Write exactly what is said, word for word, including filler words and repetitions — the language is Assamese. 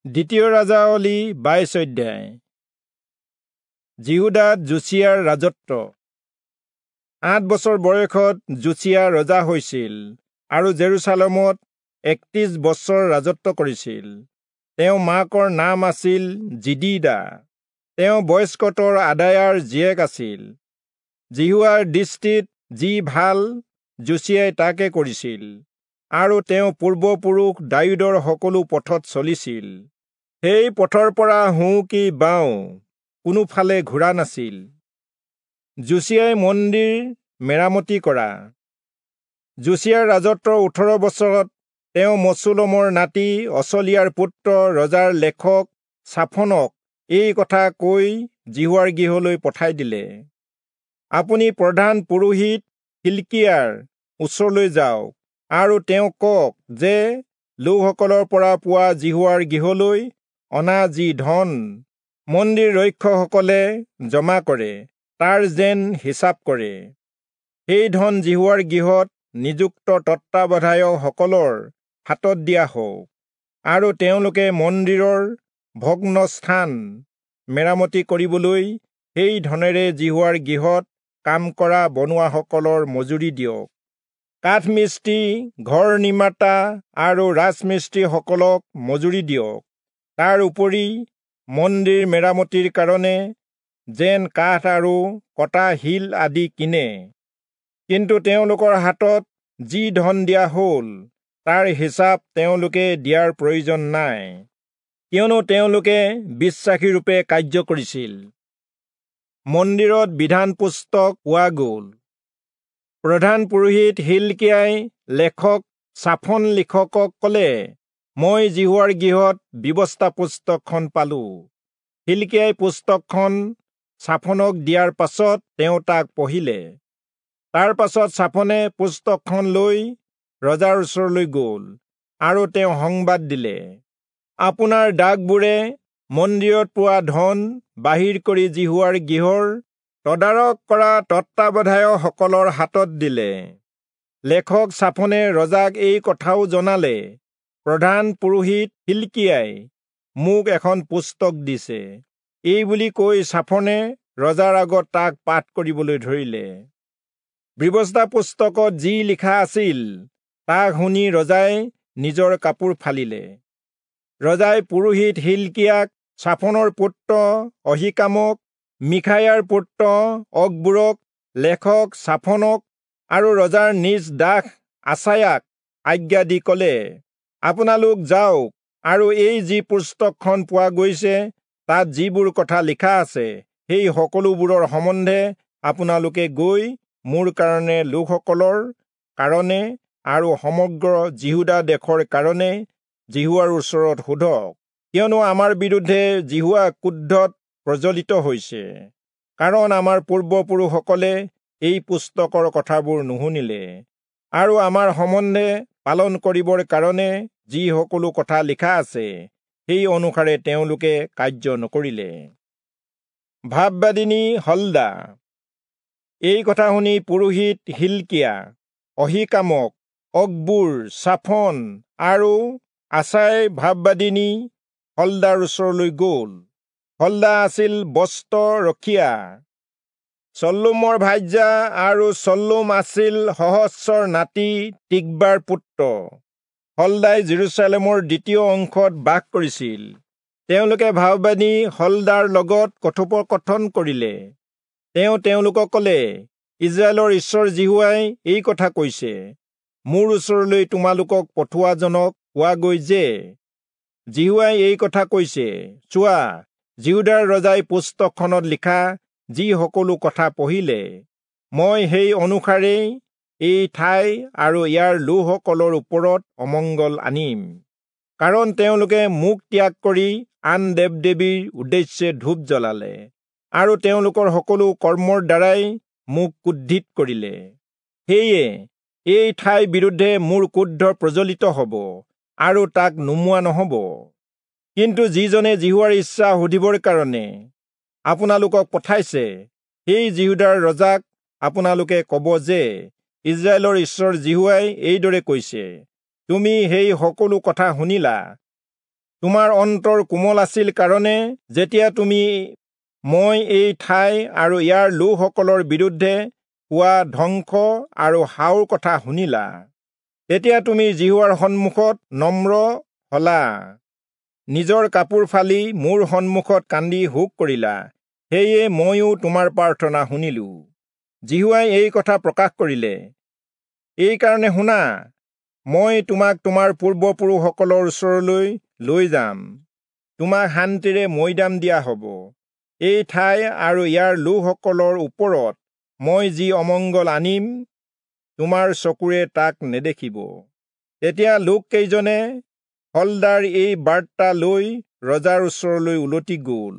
দ্বিতীয় ৰাজাৱলী বাইশ অধ্যায়। যিহূদাত যোচিয়াৰ ৰাজত্ব। আঠ বছৰ বয়সত যোচিয়া ৰজা হৈছিল আৰু জেৰুচালেমত একত্ৰিশ বছৰ ৰাজত্ব কৰিছিল। তেওঁ মাকৰ নাম আছিল জিদিদা। তেওঁ বয়স্কতৰ আদায়াৰ জীয়েক আছিল। যিহোৱাৰ দৃষ্টিত যি ভাল যোচিয়াই তাকে কৰিছিল আৰু তেওঁ পূৰ্বপুৰুষ দায়ূদৰ সকলো পথত চলিছিল। সেই পথৰ পৰা সোঁ কি বাওঁ কোনোফালে ঘূৰা নাছিল। যোচিয়াই মন্দিৰ মেৰামতি কৰা। যোচিয়াৰ ৰাজত্বৰ ওঠৰ বছৰত তেওঁ মচুলমৰ নাতি অচলিয়াৰ পুত্ৰ ৰজাৰ লেখক চাফনক এই কথা কৈ যিহোৱাৰ গৃহলৈ পঠাই দিলে, আপুনি প্ৰধান পুৰোহিত হিলকিয়াৰ ওচৰলৈ যাওক আৰু তেওঁক কওক যে লোকসকলৰ পৰা পোৱা যিহোৱাৰ গৃহলৈ অনা যি ধন মন্দিৰ ৰক্ষকসকলে জমা কৰে তাৰ যেন হিচাপ কৰে। সেই ধন যিহোৱাৰ গৃহত নিযুক্ত তত্বাৱধায়কসকলৰ হাতত দিয়া হওক আৰু তেওঁলোকে মন্দিৰৰ ভগ্ন স্থান মেৰামতি কৰিবলৈ সেই ধনেৰে যিহোৱাৰ গৃহত কাম কৰা বনোৱাসকলৰ মজুৰি দিয়ক। কাঠমিস্ত্ৰী, ঘৰ নিৰ্মাতা আৰু ৰাজমিস্ত্ৰীসকলক মজুৰি দিয়ক। তাৰ উপৰি মন্দিৰ মেৰামতিৰ কাৰণে যেন কাঠ আৰু কটা শিল আদি কিনে। কিন্তু তেওঁলোকৰ হাতত যি ধন দিয়া হ'ল তাৰ হিচাপ তেওঁলোকে দিয়াৰ প্ৰয়োজন নাই, কিয়নো তেওঁলোকে বিশ্বাসীৰূপে কাৰ্য কৰিছিল। মন্দিৰত বিধান পুস্তক পোৱা গ'ল। প্ৰধান পুৰোহিত হিলকিয়াই লেখক চাফন লিখকক ক'লে, মই যিহোৱাৰ গৃহত ব্যৱস্থা পুস্তকখন পালো। হিলকিয়াই পুস্তকখন চাফনক দিয়াৰ পাছত তেওঁ তাক পঢ়িলে। তাৰ পাছত চাফনে পুস্তকখন লৈ ৰজাৰ ওচৰলৈ গ'ল আৰু তেওঁ সংবাদ দিলে, আপোনাৰ দাসবোৰে মন্দিৰত পোৱা ধন বাহিৰ কৰি যিহোৱাৰ গৃহৰ তদাৰক কৰা তত্বাৱধায়কসকলৰ হাতত দিলে। লেখক চাফনে ৰজাক এই কথাও জনালে, প্ৰধান পুৰোহিত হিলকিয়াই মোক এখন পুস্তক দিছে। এই বুলি কৈ চাফনে ৰজাৰ আগত তাক পাঠ কৰিবলৈ ধৰিলে। ব্যৱস্থা পুস্তকত যি লিখা আছিল তাক শুনি ৰজাই নিজৰ কাপোৰ ফালিলে। ৰজাই পুৰোহিত হিলকিয়াক, চাফনৰ পুত্ৰ অহীকামক, মিখায়াৰ পুত্ৰ অকবোৰক, লেখক চাফনক আৰু ৰজাৰ নিজ দাস আচায়াক আজ্ঞা দি ক'লে, আপোনালোক যাওক আৰু এই যি পুস্তকখন পোৱা গৈছে তাত যিবোৰ কথা লিখা আছে সেই সকলোবোৰৰ সম্বন্ধে আপোনালোকে গৈ মোৰ কাৰণে, লোকসকলৰ কাৰণে আৰু সমগ্ৰ যিহূদা দেশৰ কাৰণে যিহোৱাৰ ওচৰত সোধক, কিয়নো আমাৰ বিৰুদ্ধে যিহোৱা ক্ৰোধত প্ৰজ্বলিত হৈছে, কাৰণ আমাৰ পূৰ্বপুৰুষসকলে এই পুস্তকৰ কথাবোৰ নুশুনিলে আৰু আমাৰ সম্বন্ধে পালন কৰিবৰ কাৰণে যি সকলো কথা লিখা আছে সেই অনুসাৰে তেওঁলোকে কাৰ্য নকৰিলে। ভাববাদিনী হলদা। এই কথা শুনি পুৰোহিত হিলকিয়া, অহীকামক, অকবোৰ, চাফন আৰু আচাই ভাববাদিনী হলদাৰ ওচৰলৈ গ'ল। হলদা আছিল বস্ত্ৰ ৰখীয়া, চল্লুমৰ ভাৰ্যা, আৰু চল্লুম আছিল সহস্ৰৰ নাতি তিকবাৰ পুত্ৰ। হলদাই জেৰুচালেমৰ দ্বিতীয় অংশত বাস কৰিছিল। তেওঁলোকে ভাববাদী হলদাৰ লগত কথোপকথন কৰিলে। তেওঁ তেওঁলোকক ক'লে, ইস্ৰায়েলৰ ঈশ্বৰ যিহোৱাই এই কথা কৈছে, মোৰ ওচৰলৈ তোমালোকক পঠোৱাজনক কোৱাগৈ যে যিহোৱাই এই কথা কৈছে, চোৱা, যিহূদাৰ ৰজাই পুস্তকখনত লিখা যি সকলো কথা পঢ়িলে, মই সেই অনুসাৰেই এই ঠাই আৰু ইয়াৰ লোকসকলৰ ওপৰত অমংগল আনিম, কাৰণ তেওঁলোকে মোক ত্যাগ কৰি আন দেৱ দেৱীৰ উদ্দেশ্যে ধূপ জ্বলালে আৰু তেওঁলোকৰ সকলো কৰ্মৰ দ্বাৰাই মোক ক্ৰোধিত কৰিলে। সেয়ে এই ঠাইৰ বিৰুদ্ধে মোৰ ক্ৰোধ প্ৰজ্বলিত হ'ব আৰু তাক নুমুৱা নহ'ব। কিন্তু যিজনে যিহোৱাৰ ইচ্ছা সুধিবৰ কাৰণে আপোনালোকক পঠাইছে, সেই যিহূদাৰ ৰজাক আপোনালোকে ক'ব যে ইস্ৰায়েলৰ ঈশ্বৰ যিহোৱাই এইদৰে কৈছে, তুমি সেই সকলো কথা শুনিলা, তোমাৰ অন্তৰ কোমল আছিল কাৰণে যেতিয়া তুমি মই এই ঠাই আৰু ইয়াৰ লোকসকলৰ বিৰুদ্ধে হোৱা ধ্বংস আৰু হাওৰ কথা শুনিলা, তেতিয়া তুমি যিহোৱাৰ সন্মুখত নম্ৰ হলা, নিজৰ কাপোৰ ফালি মোৰ সন্মুখত কান্দি শোক কৰিলা, সেয়ে ময়ো তোমাৰ প্ৰাৰ্থনা শুনিলো। যিহোৱাই এই কথা প্ৰকাশ কৰিলে। এইকাৰণে শুনা, মই তোমাক তোমাৰ পূৰ্বপুৰুষসকলৰ ওচৰলৈ লৈ যাম, তোমাক শান্তিৰে মৈদাম দিয়া হ'ব। এই ঠাই আৰু ইয়াৰ লোকসকলৰ ওপৰত মই যি অমংগল আনিম, তোমাৰ চকুৰে তাক নেদেখিব। তেতিয়া লোককেইজনে হল্দাৰ এই বাৰ্তা লৈ ৰজাৰ ওচৰলৈ উলটি গ'ল।